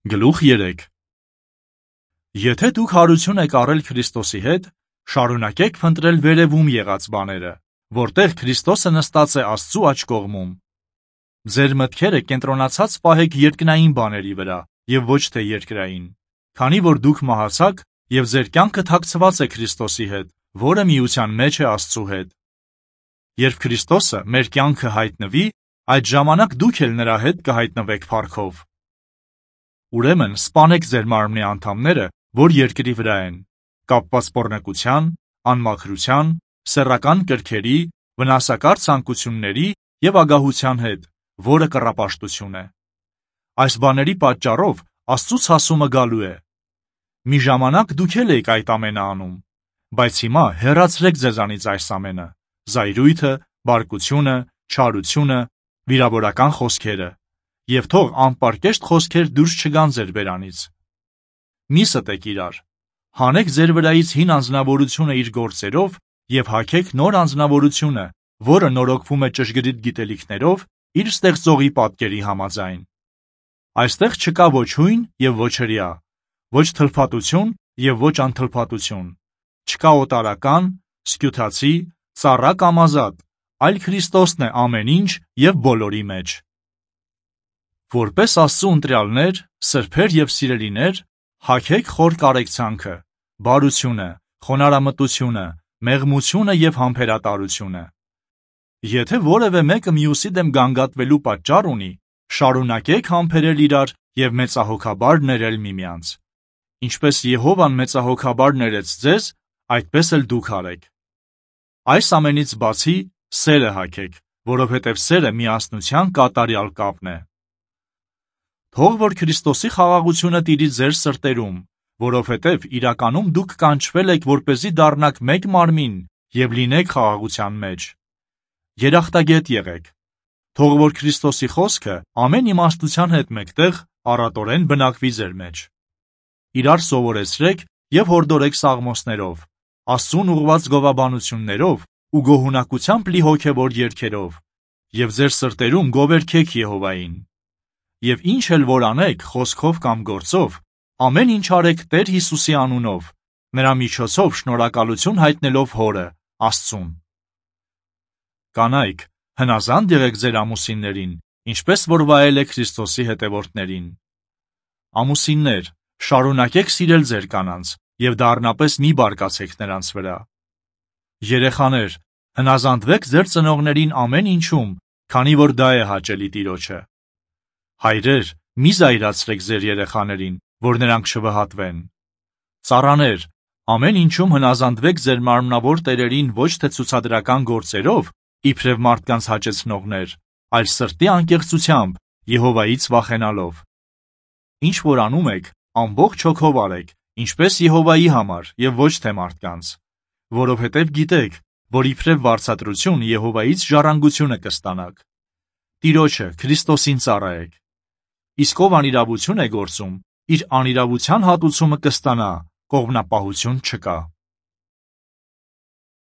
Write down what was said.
Գլուխ 3 Եթե դուք հարություն եք առել Քրիստոսի հետ, շարունակեք փնտրել վերևում եղած բաները, որտեղ Քրիստոսը նստած է Աստծու աջ կողմում։ Ձեր մտքերը կենտրոնացած պահեք երկնային բաների վրա եւ ոչ թե երկրային, քանի որ դուք մահացաք եւ ձեր կյանքը թաքցված է Քրիստոսի հետ, որը միության մեջ է Աստծու հետ։ Երբ Քրիստոսը մեր կյանքը հայտնվի, այդ ժամանակ դուք էլ նրա հետ կհայտնվեք փառքով։ Ուրեմն սպանեք ձեր մարմնի անդամները, որ երկրի վրա են, կապված պոռնկության, անմաքրության, սեռական կրքերի, վնասակար ցանկությունների եւ ագահության հետ, որը կռապաշտություն է։ Այս բաների պատճառով Աստծուց հասումը գալու է։ Մի ժամանակ դուք էլ եք այդ ամենը անում, բայց հիմա հեռացրեք ձեզանից այս ամենը՝ զայրույթը, բարկությունը, չարությունը, վիրավորական խոսքերը, եւ թող անպարկեշտ խոսքեր դուրս չգան ձեր բերանից։ Մի ստեք իրար, հանեք ձեր վրայից հին անձնավորությունը իր գործերով եւ հագեք նոր անձնավորությունը, որը նորոգվում է ճշգրիտ գիտելիքներով իր ստեղծողի պատկերի համաձայն։ Այստեղ չկա ոչ հույն եւ ոչ հրյա, ոչ թլփատություն եւ ոչ անթլփատություն, չկա օտարական, սքյութացի, ծառա կամ ազատ, այլ Քրիստոսն է ամեն ինչ եւ բոլորի մեջ։ Որպես Աստծու ընտրյալներ, սրբեր եւ սիրելիներ, հագեք խոր կարեկցանքը, բարությունը, խոնարհամտությունը, մեղմությունը եւ համբերատարությունը։ Եթե որևէ մեկը մյուսի դեմ գանգատվելու պատճառ ունի, շարունակեք համբերել իրար եւ մեծահոգաբար ներել միմյանց։ Ինչպես Եհովան մեծահոգաբար ներեց ձեզ, այդպես էլ դուք արեք։ Այս ամենից բացի սերը հագեք, որովհետև սերը միասնության կատարյալ կապն է։ Թող որ Քրիստոսի խաղաղությունը տիրի ձեր սրտերում, որովհետև իրականում դուք կանչվել եք, որպեսզի դառնաք մեկ մարմին եւ լինեք խաղաղության մեջ։ Երախտագետ եղեք։ Թող որ Քրիստոսի խոսքը ամեն իմաստության հետ մեկտեղ առատորեն բնակվի ձեր մեջ։ Իրար սովորեցրեք եւ հորդորեք սաղմոսներով, Աստծուն ուղղված գովաբանություններով ու գոհունակությամբ լի հոգևոր երգերով, եւ ձեր սրտերում գովերգեք Եհովային։ Եվ ինչ էլ որ անեք, խոսքով կամ գործով, ամեն ինչ արեք Տեր Հիսուսի անունով, նրա միջոցով շնորհակալություն հայտնելով Հորը, Աստծուն։ Կանայք, հնազանդ եղեք ձեր ամուսիններին, ինչպես որ վայել է Քրիստոսի հետևորդներին։ Ամուսիններ, շարունակեք սիրել ձեր կանանց եւ դառնապես մի բարկացեք նրանց վրա։ Երեխաներ, հնազանդվեք ձեր ծնողներին ամեն ինչում, քանի որ դա է հաճելի Տիրոջը։ Հայրեր, մի զայրացրեք ձեր երեխաներին, որ նրանք չվհատվեն։ Ծառաներ, ամեն ինչում հնազանդվեք ձեր մարմնավոր տերերին ոչ թե ցուցադրական գործերով, իբրև մարդկանց հաճեցնողներ, այլ սրտի անկեղծությամբ, Եհովայից վախենալով։ Ինչ որ անում եք, ամբողջ հոգով արեք, ինչպես Եհովայի համար եւ ոչ թե մարդկանց, որովհետև գիտեք, որ իբրև վարձատրություն Եհովայից ժառանգությունը կստանաք։ Տիրոջը, Քրիստոսին ծառայեք։ Իսկ ով անիրավություն է գործում, իր անիրավության հատուցումը կստանա, կողմնապահություն չկա։